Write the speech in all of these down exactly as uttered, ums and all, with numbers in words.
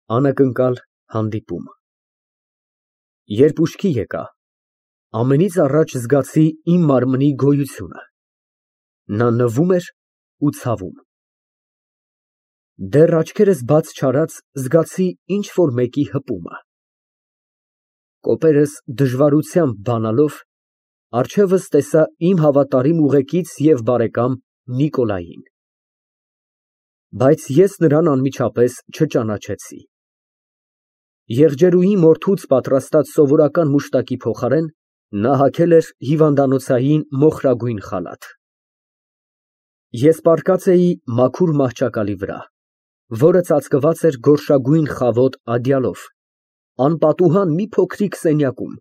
Անակնկալ հանդիպում։ Երբ ուշքի եկա, ամենից առաջ զգացի իմ մարմնի գոյությունը, նա նվում էր ու ցավում։ Դեռ աչքերս բաց չարած զգացի ինչ֊որ մեկի հպումը։ Կոպերս դժվարությամբ բանալով, առջևս տեսա իմ հավատարիմ ուղեկից և բարեկամ Նիկոլային, բայց ես նրան անմիջապես չճանաչեցի։ Եղջերուհի մորթուց պատրաստած սովորական մուշտակի փոխարեն նա հագել էր հիվանդանոցային մոխրագույն խալաթ։ Ես պառկած էի մաքուր մահճակալի վրա, որը ծածկված էր գորշագույն խավոտ ադյալով, անպատուհան մի փոքրիկ սենյակում,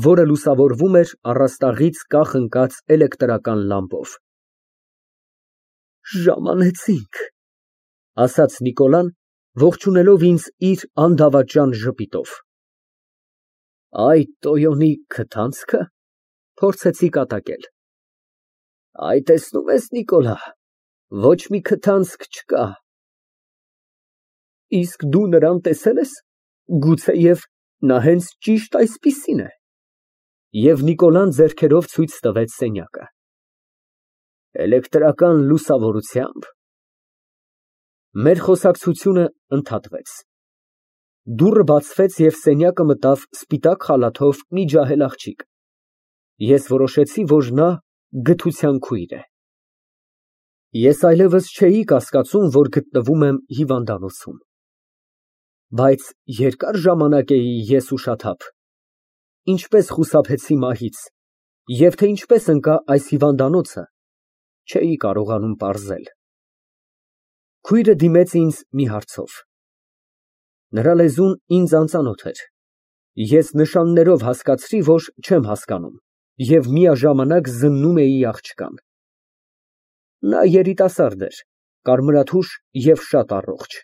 որը լուսավորվում էր առաստաղից կախ ընկած էլեկտրական լամպով։ «Ժամանեցինք», ֊ ասաց Նիկոլան, ողջունելով ինձ իր անդավաճան ժպիտով։ «Այդ տոյոնի քթանցքը, ֊ փորձեցի կատակել։ ֊ Այ, տեսնում ես, Նիկոլա, ոչ մի քթանցք չկա։ Իսկ դու նրան տեսե՞լ ես, գուցեև նա հենց ճիշտ այսպիսին է։ (Եվ Նիկոլան ձեռքերով ցույց տվեց սենյակը)։ Էլեկտրական լուսավորությամբ։ Մեր խոսակցությունը ընդհատվեց։ Դուռը բացվեց և սենյակը մտավ սպիտակ խալաթով մի ջահել աղջիկ։ Ես որոշեցի, որ նա գթության քույր է։ Ես այլևս չէի կասկածում, որ գտնվում եմ հիվանդանոցում։ Բայց երկար ժամանակ էի ես ուշաթափ, ինչպես խուսափեցի մահից, և թե ինչպես ընկա այս հիվանդանոցը, չէի կարողանում պարզել։ Քույրը դիմեց ինձ մի հարցով։ Նրա լեզուն ինձ անծանոթ էր, ես նշաններով հասկացրի, որ չեմ հասկանում և միաժամանակ զննում էի աղջկան։ Նա երիտասարդ էր, կարմրաթուշ և շատ առողջ։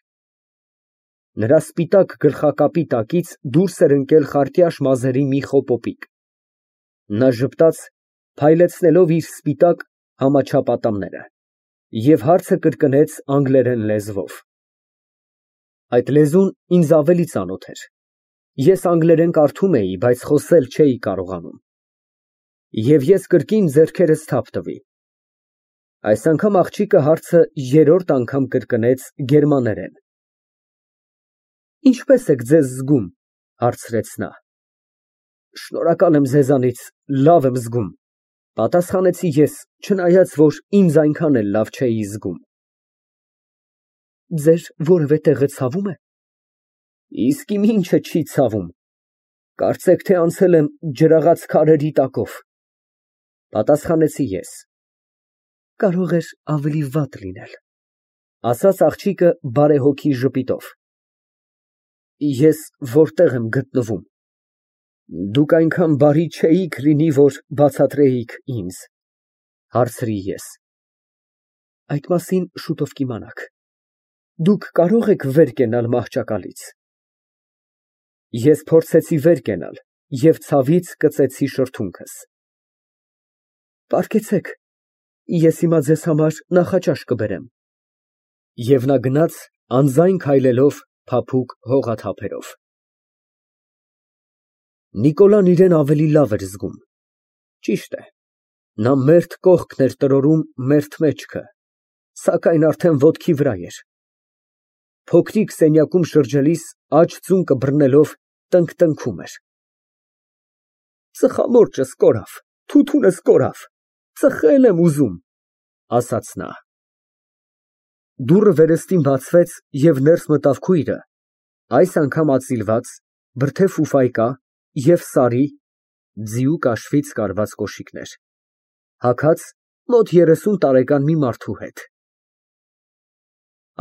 Նրա սպիտակ գլխակապի տակից դուրս էր ընկել խարտյաշ մազերի մի խոպոպիկ։ Նա ժպտաց, փայլեցնելով իր սպիտակ համաչափ ատամները, և հարցը կրկնեց անգլերեն լեզվով։ Այդ լեզուն ինձ ավելի ծանոթ էր։ Ես անգլերեն կարդում էի, բայց խոսել չէի կարողանում։ Եվ ես կրկին ձեռքերս թափ տվի։ Այս անգամ աղջիկը հարցը երրորդ անգամ կրկնեց գերմաներեն։ Ինչպե՞ս եք ձեզ զգում, ֊ հարցրեց նա։ Շնորհակալ եմ ձեզանից, լավ եմ զգում, ֊ պատասխանեցի ես, չնայած որ ինձ այնքան էլ լավ չէի զգում։ Ձեր որևէ տեղը ցավում է։ Իսկ իմ ինչը չի ցավում, կարծեք թե անցել եմ ջրաղաց քարերի տակով, ֊ պատասխանեցի ես։ Կարող էր ավելի վատ լինել, ֊ ասաց աղջիկը բարեհոգի ժպիտով։ Ես որտե՞ղ եմ գտնվում։ Դուք այնքան բարի չէիք լինի, որ բացատրեիք ինձ, ֊ հարցրի ես։ Այդ մասին շուտով կիմանաք։ Դուք կարո՞ղ եք վեր կենալ մահճակալից։ Ես փորձեցի վեր կենալ և ցավից կծեցի շրթունքս։ Պառկեցեք, ես հիմա ձեզ համար նախաճաշ կբերեմ։ Եվ նա գնաց անձայն քայլելով փափուկ հողաթափերով։ Նիկոլան իրան ավելի լավ էր զգում։ Ճիշտ է, նա մերթ կողքն էր տրորում մերթ մեջքը, սակայն արդեն ոտքի վրա էր։ Փոքրիկ սենյակում շրջելիս աջ ծունկը բռնելով տնկտնքում էր։ Ծխամորճս կորավ, թութունս կորավ, ծխել եմ ուզում, ֊ ասաց նա։ Դուռը վերստին բացվեց և ներս մտավ քույրը, այս անգամածիլված, բրդե ֆուֆայկա և սարի (ձիու կաշվից կարված կոշիկներ) հագած մոտ երեսուն տարեկան մի մարդու հետ։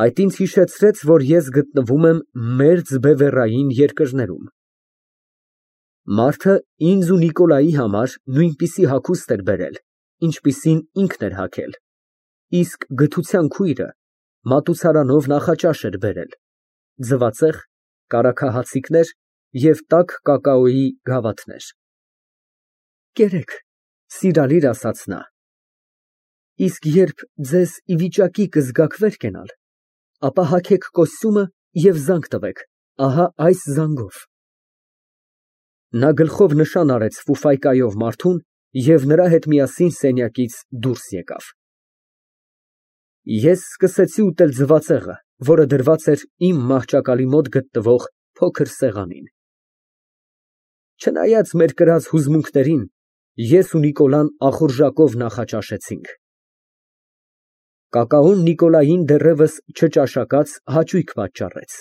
Այդ ինձ հիշեցրեց, որ ես գտնվում եմ մերձ բևեռային երկրներում։ Մարդը ինձ ու Նիկոլայի համար նույնպիսի հագուստ էր բերել, ինչպիսին ինքն էր հագել, իսկ գթության քույրը մատուցարանով նախաճաշ էր բերել, ձվածեղ, կարագահացիկներ և տաք կակաոյի գավաթներ։ Կերեք, ֊ սիրալիր ասաց նա։ Իսկ երբ ձեզ ի վիճակի կզգաք վեր կենալ, ապա հագեք կոստյումը և զանգ տվեք, ահա այս զանգով։ Նա գլխով նշան արեց ֆուֆայկայով մարդուն և նրա հետ միասին սենյակից դուրս եկավ։ Ես սկսեցի ուտել ձվածեղը, որը դրված էր իմ մահճակալի մոտ գտնվող փոքր սեղանին։ Չնայած մեր կրած հուզմունքներին, ես ու Նիկոլան ախորժակով նախաճաշեցինք։ Կակաոն Նիկոլային դեռևս չճաշակած հաճույք պատճառեց։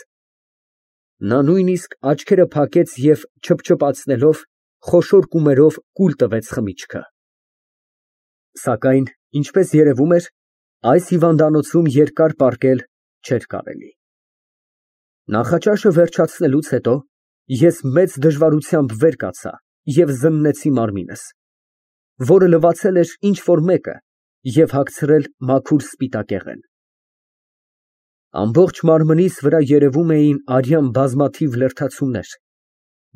Նա նույնիսկ աչքերը փակեց և չփչփացնելով խոշոր կումերով կուլ տվեց խմիչքը։ Սակայն, ինչպես երևում էր, այս հիվանդանոցում երկար պառկել չէր կարելի։ Նախաճաշը վերջացնելուց հետո ես մեծ դժվարությամբ վեր կացա և զննեցի մարմինս, որը լվացել էր ինչ֊որ մեկը և հագցրել մաքուր սպիտակեղեն։ Ամբողջ մարմնիս վրա երևում էին արյան բազմաթիվ լրթացումներ,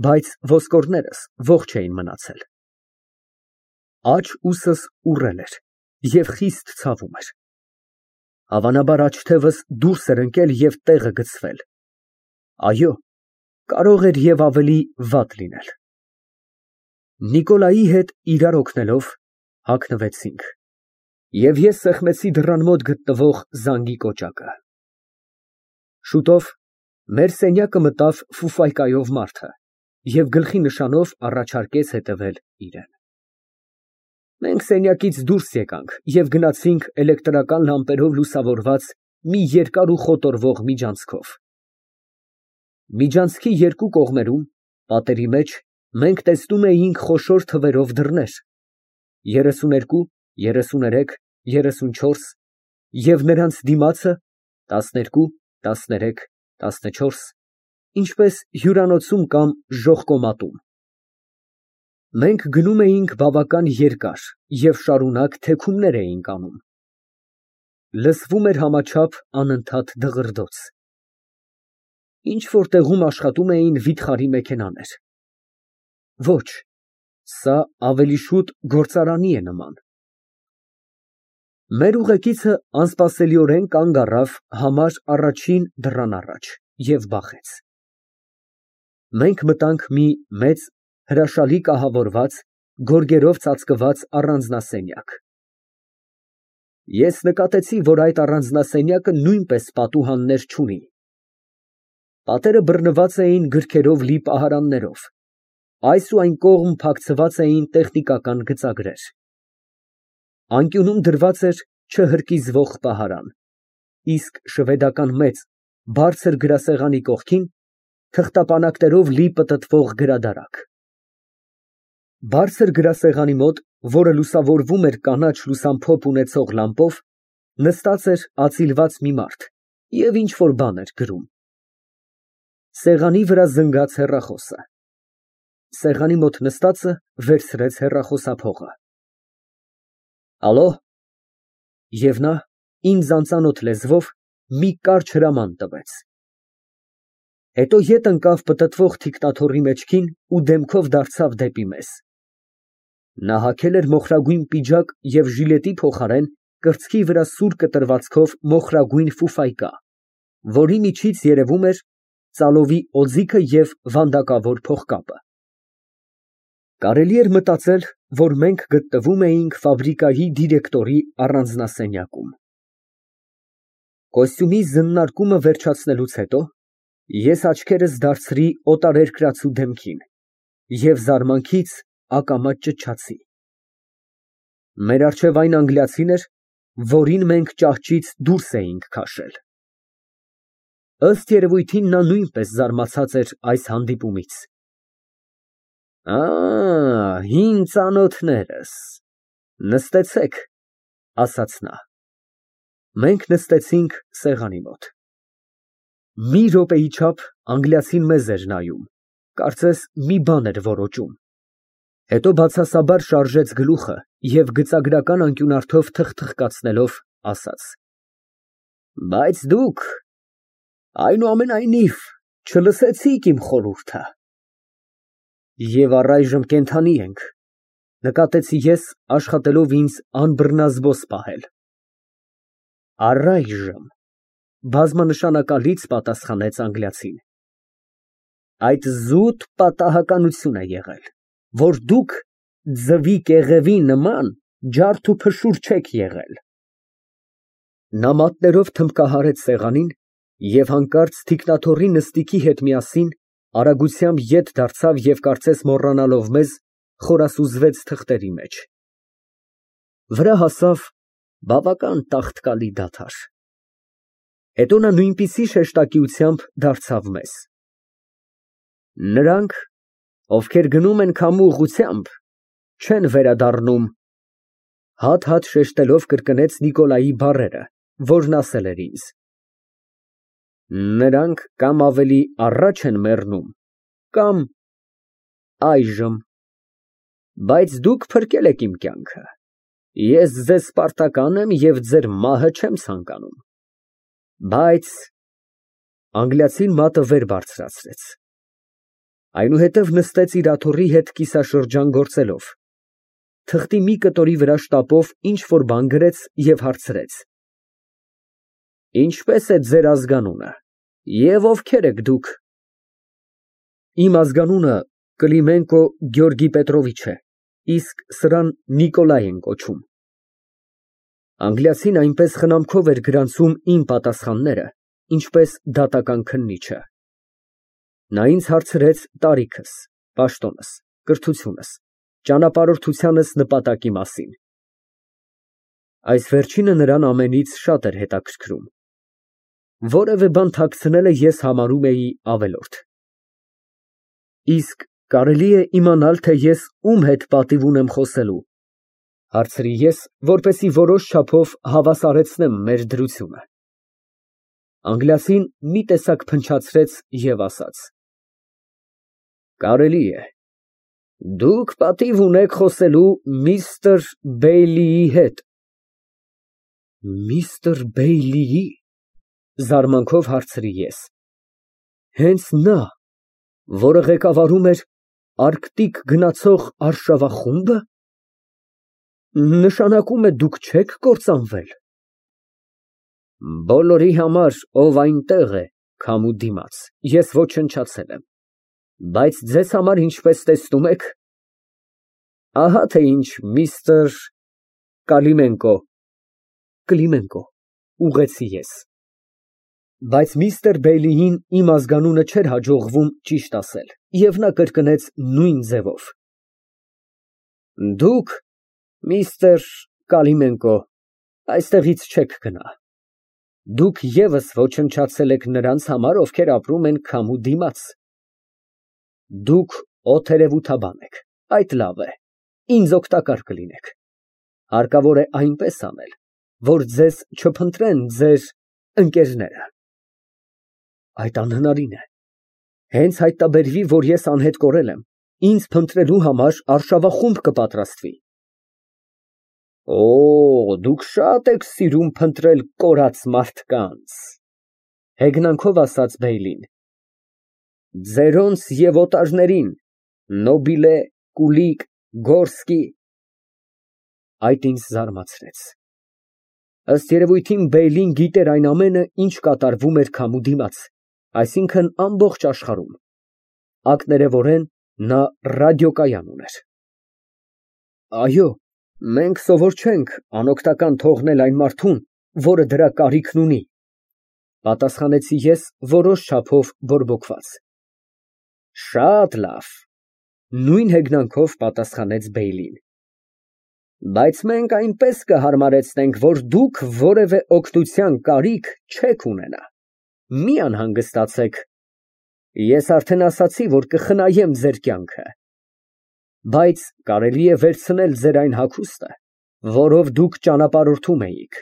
բայց ոսկորներս ողջ էին մնացել։ Աջ ուսս ուռել էր և խիստ ցավում էր։ Հավանաբար աջ թևս դուրս էր ընկել և տեղը գցվել։ Այո, կարող էր և ավելի վատ լինել։ Նիկոլայի հետ իրար օգնելով հագնվեցինք, և ես սեղմեցի դռան մոտ գտնվող զանգի կոճակը։ Շուտով մեր սենյակը մտավ ֆուֆայկայով մարդը և գլխի նշանով առաջարկեց հետևել իրան։ Մենք սենյակից դուրս եկանք և գնացինք էլեկտրական լամպերով լուսավորված մի երկար ու խոտորվող միջանցքով։ Միջանցքի երկու կողմերում, պատերի մեջ, մենք տեսնում էինք խոշոր թվերով դռներ՝ երեսուներկու, երեսուներեք, երեսունչորս, և նրանց դիմացը տասներկու, տասներեք, տասնչորս, ինչպես հյուրանոցում կամ ժողկոմատում։ Մենք գնում էինք բավական երկար և շարունակ թեքումներ էինք անում։ Լսվում էր համաչափ անընդհատ դղրդոց։ Ինչ֊որ տեղում աշխատում էին վիթխարի մեքենաներ։ Ոչ, սա ավելի շուտ գործարանի է նման։ Մեր ուղեկիցը անսպասելիորեն կանգ առավ համար առաջին դռան առաջ և բախեց։ Մենք մտանք մի մեծ, հրաշալի կահավորված, գորգերով ծածկված առանձնասենյակ։ Ես նկատեցի, որ այդ առանձնասենյակը նույնպես պատուհաններ չունի։ Պատերը բռնված էին գրքերով լի պահարաններով, այս ու այն կողմ փակցված էին տեխնիկական գծագրեր։ Անկյունում դրված էր չհրկիզվող պահարան, իսկ շվեդական մեծ, բարձր գրասեղանի կողքին թղթապանակներով լի պտտվող գրադարակ։ Բարձր գրասեղանի մոտ, որը լուսավորվում էր կանաչ լուսամփոփ ունեցող լամպով, նստած էր ածիլված մի մարդ և ինչ֊որ բան էր գրում։ Սեղանի վրա զնգաց հեռախոսը։ Սեղանի մոտ նստածը վերցրեց հեռախոսափողը։ Ալո։ Եվ նա ինձ անծանոթ լեզվով մի կարճ հրաման տվեց։ Հետո ետ ընկավ պտտվող թիկնաթոռի մեջքին ու դեմքով դարձավ դեպի մեզ։ Նա հագել էր մոխրագույն պիջակ և ժիլետի փոխարեն կրծքի վրա սուր կտրվածքով մոխրագույն ֆուֆայկա, որի միջից երևում էր ծալովի օձիքը և վանդակավոր փողկապը։ Կարելի էր մտածել, որ մենք գտնվում էինք ֆաբրիկայի դիրեկտորի առանձնասենյակում։ Կոստյումի զննարկումը վերջացնելուց հետո ես աչքերս դարձրի օտարերկրացու դեմքին և զարմանքից ակամա ճչացի։ Մեր առջև այն անգլիացին էր, որին մենք ճահճից դուրս էինք քաշել։ Ըստ երևույթին նա նույնպես զարմացած էր այս հանդիպումից։ Ա, հին ծանոթներս, նստեցեք, ասաց նա։ Մենք նստեցինք սեղանի մոտ։ Մի րոպեի չափ անգլիացին մեզ էր նայում, կարծես մի բան էր որոճում, հետո բացասաբար շարժեց գլուխը և գծագրական անկյունարդով թխթխկացնելով ասաց. Բայց դուք, այնուամենայնիվ, չլսեցիք իմ խորհուրդը։ Եվ առայժմ կենդանի ենք, նկատեցի ես, աշխատելով ինձ անբռնազբոս պահել։ Առայժմ, բազմանշանակալից պատասխանեց անգլիացին։ Այդ զուտ պատահականություն է եղել, որ դուք ձվի կեղևի նման ջարդ ու փշուր չեք եղել։ Նա մատներով թմբկահարեց սեղանին և հանկարծ թիկնաթոռի նստիքի հետ միասին արագությամբ ետ դարձավ և կարծես մոռանալով մեզ, խորասուզվեց թղթերի մեջ։ Վրա հասավ բավական տաղտկալի դադար։ Հետո նա նույնպիսի շեշտակիությամբ դարձավ մեզ. Նրանք, ովքեր գնում են քամու ուղղությամբ, չեն վերադառնում։ Հատ֊հատ շեշտելով կրկնեց Նիկոլայի բառերը, որն ասել էր ինձ. Նրանք կամ ավելի առաջ են մեռնում, կամ այժմ, բայց դուք փրկել եք իմ կյանքը, ես ձեզ պարտական եմ և ձեր մահը չեմ ցանկանում, բայց… Անգլիացին մատը վեր բարձրացրեց, այնուհետև նստեց իր աթոռի հետ կիսաշրջան գործելով, թղթի մի կտորի վրա շտապով ինչ֊որ բան գրեց և հարցրեց. Ինչպե՞ս է ձեր ազգանունը և ովքեր եք դուք։ Իմ ազգանունը Կլիմենկո Գեորգի Պետրովիչ է, իսկ սրան Նիկոլայ են կոչում։ Անգլիացին այնպես խնամքով էր գրանցում իմ պատասխանները, ինչպես դատական քննիչը։ Նա ինձ հարցրեց տարիքս, պաշտոնս, կրթությունս, ճանապարհորդությանս նպատակի մասին։ Այս վերջինը նրան ամենից շատ էր հետաքրքրում։ Որևէ բան թաքցնելը ես համարում էի ավելորդ։ Իսկ կարելի է իմանալ, թե ես ում հետ պատիվ ունեմ խոսելու, հարցրի ես, որպեսզի որոշ չափով հավասարեցնեմ մեր դրությունը։ Անգլիացին մի տեսակ փնչացրեց և ասաց. Կարելի է, դուք պատիվ ունեք խոսելու միստր Բեյլիի հետ։ Միստր Բեյլիի՞, զարմանքով հարցրի ես։ Հենց նա, որը ղեկավարում էր Արկտիկ գնացող արշավախո՞ւմբը։ Նշանակում է դուք չեք կործանվել։ Բոլորի համար, ով այնտեղ է քամու դիմաց, ես ոչնչացել եմ, բայց ձեզ համար, ինչպես տեսնում եք, ահա թե ինչ միստր Կալիմենկո։ Կլիմենկո, ուղղեցի ես։ Բայց միստր Բեյլիին իմ ազգանունը չէր հաջողվում ճիշտ ասել, և նա կրկնեց նույն ձևով. Դուք, միստր Կալիմենկո, այստեղից չեք գնա։ Դուք ևս ոչնչացել եք նրանց համար, ովքեր ապրում են քամու դիմաց։ Դուք օթերևութաբան եք, այդ լավ է, ինձ օգտակար կլինեք։ Հարկավոր է այնպես անել, որ ձեզ չփնտրեն ձեր ընկերները։ Այդ անհնարին է։ Հենց հայտնաբերվի, որ ես անհետ կորել եմ, ինձ փնտրելու համար արշավախումբ կպատրաստվի։ Օ, դուք շատ եք սիրում փնտրել կորած մարդկանց, հեգնանքով ասաց Բեյլին։ Ձերոնց և օտարներին, Նոբիլե, Կուլիկ, Գորսկի։ Այդ ինձ զարմացրեց։ Ըստ երևույթին Բեյլին գիտեր այն ամենը, ինչ կատարվում էր քամու դիմաց, այսինքն ամբողջ աշխարհում։ Ակներևորեն նա ռադիոկայան ուներ։ Այո, մենք սովոր չենք անօգնական թողնել այն մարդուն, որը դրա կարիքն ունի, պատասխանեցի ես որոշ չափով բորբոքված։ Շատ լավ, նույն հեգնանքով պատասխանեց Բեյլին։ Բայց մենք այնպես կհարմարեցնենք, որ դուք որևէ օգնության կարիք չեք ունենա։ Մի անհանգստացեք, ես արդեն ասացի, որ կխնայեմ ձեր կյանքը, բայց կարելի է վերցնել ձեր այն հագուստը, որով դուք ճանապարհորդում էիք,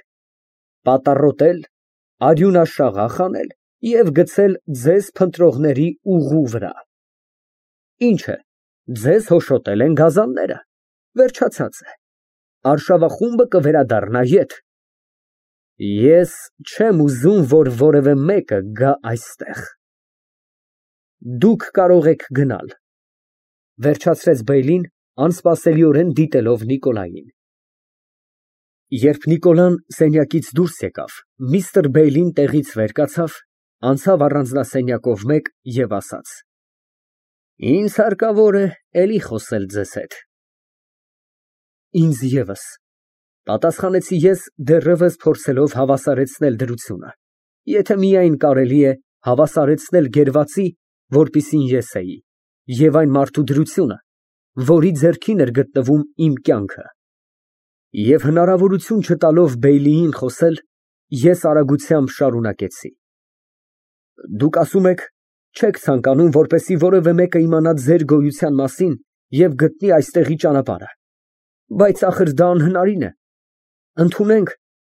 պատառոտել, արյունաշաղախ անել և գցել ձեզ փնտրողների ուղու վրա։ Ինչ է, ձեզ հոշոտել են գազանները, վերջացած է, արշավախումբը կվերադառնա ետ։ Ես չեմ ուզում, որ որևէ մեկը գա այստեղ։ Դուք կարող եք գնալ, վերջացրեց Բեյլին, անսպասելիորեն դիտելով Նիկոլային։ Երբ Նիկոլան սենյակից դուրս եկավ, միստր Բեյլին տեղից վեր կացավ, անցավ առանձնասենյակով մեկ և ասաց. Ինձ հարկավոր է էլի խոսել ձեզ հետ։ Ինձ ևս, պատասխանեցի ես, դեռևս փորձելով հավասարեցնել դրությունը, եթե միայն կարելի է հավասարեցնել գերվածի, որպիսին ես էի, և այն մարդու դրությունը, որի ձեռքին էր գտնվում իմ կյանքը։ Եվ հնարավորություն չտալով Բեյլիին խոսել, ես արագությամբ շարունակեցի. Դուք ասում եք, չեք ցանկանում, որպեսզի որևէ մեկը իմանա ձեր գոյության մասին և գտնի այստեղի ճանապարհը, բայց ախր դա անհնարին է։ Ընդունենք,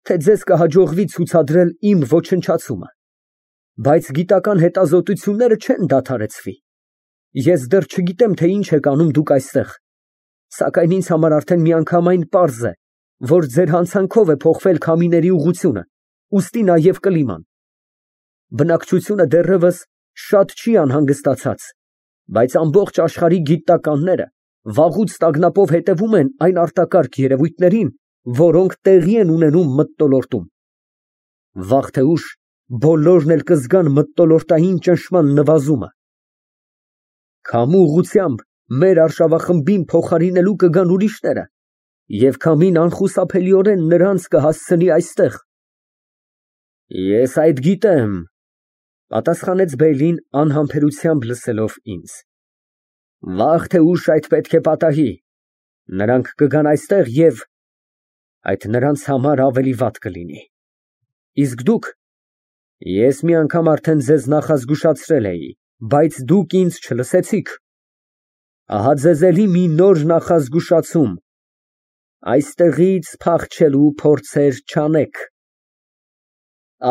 թե ձեզ կհաջողվի ցուցադրել իմ ոչնչացումը, բայց գիտական հետազոտությունները չեն դադարեցվի։ Ես դեռ չգիտեմ, թե ինչ եք անում դուք այստեղ, սակայն ինձ համար արդեն միանգամայն պարզ է, որ ձեր հանցանքով է փոխվել քամիների ուղղությունը, ուստի նաև կլիման։ Բնակչությունը դեռևս շատ չի անհանգստացած, բայց ամբողջ աշխարհի գիտնականները վաղուց տագնապով հետևում են այն արտակարգ երևույթներին, որոնք տեղի են ունենում մթնոլորտում։ Վաղ թե ուշ բոլորն էլ կզգան մթնոլորտային ճնշման նվազումը։ Քամու ուղղությամբ մեր արշավախմբին փոխարինելու կգան ուրիշները, և քամին անխուսափելիորեն նրանց կհասցնի այստեղ։ Ես այդ գիտեմ, պատասխանեց Բեյլին անհամբերությամբ լսելով ինձ։ Վաղ թե ուշ այդ պետք է պատահի։ Նրանք կգան այստեղ և այդ նրանց համար ավելի վատ կլինի։ Իսկ դուք, ես մի անգամ արդեն ձեզ նախազգուշացրել էի, բայց դուք ինձ չլսեցիք։ Ահա ձեզ էլի մի նոր նախազգուշացում. այստեղից փախչելու փորձեր չանեք։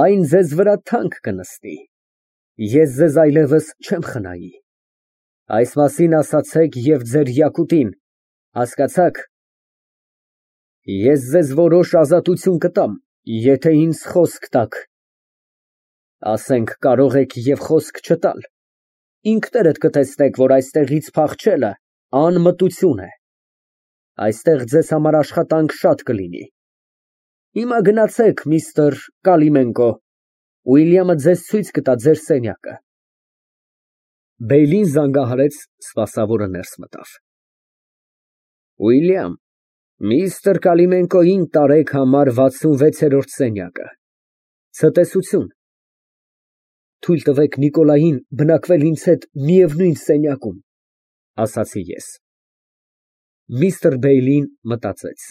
Այն ձեզ վրա թանկ կնստի։ Ես ձեզ այլևս չեմ խնայի։ Այս մասին ասացեք և ձեր Յակուտին, հասկացա՞ք։ Ես ձեզ որոշ ազատություն կտամ, եթե ինձ խոսք տաք։ Ասենք, կարող եք և խոսք չտալ, ինքներդ կտեսնեք, որ այստեղից փախչելը անմտություն է։ Այստեղ ձեզ համար աշխատանք շատ կլինի։ Հիմա գնացեք, միստր Կալիմենկո, Ուիլյամը ձեզ ցույց կտա ձեր սենյակը։ Բեյլին զանգահարեց, սպասավորը ներս մտավ։ Ուիլյամ, միստր Կալիմենկոյին տարեք համար վաթսունվեցերորդ սենյակը։ Ցտեսություն։ Թույլ տվեք Նիկոլային բնակվել ինձ հետ միևնույն սենյակում, ասացի ես։ Միստր Բեյլին մտածեց.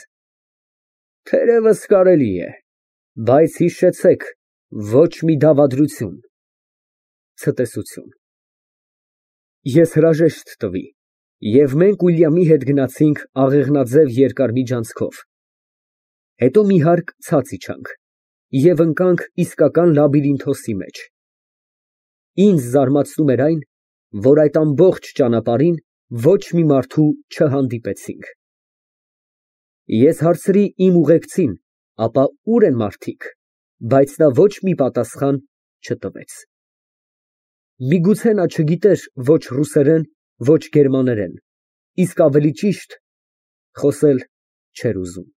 Թերևս կարելի է, բայց հիշեցեք, ոչ մի դավադրություն։ Ցտեսություն։ Ես հրաժեշտ տվի, և մենք Ուիլյամի հետ գնացինք աղեղնաձև երկար միջանցքով, հետո մի հարկ ցած իջանք և ընկանք իսկական լաբիրինթոսի մեջ։ Ինձ զարմացնում էր այն, որ այդ ամբողջ ճանապարհին ոչ մի մարդու չհանդիպեցինք։ Ես հարցրի իմ ուղեկցին, ապա ո՞ւր են մարդիկ, բայց նա ոչ մի պատասխան չտվեց։ Միգուցե նա չգիտեր ոչ ռուսերեն, ոչ գերմաներեն, իսկ ավելի ճիշտ, խոսել չէր ուզում։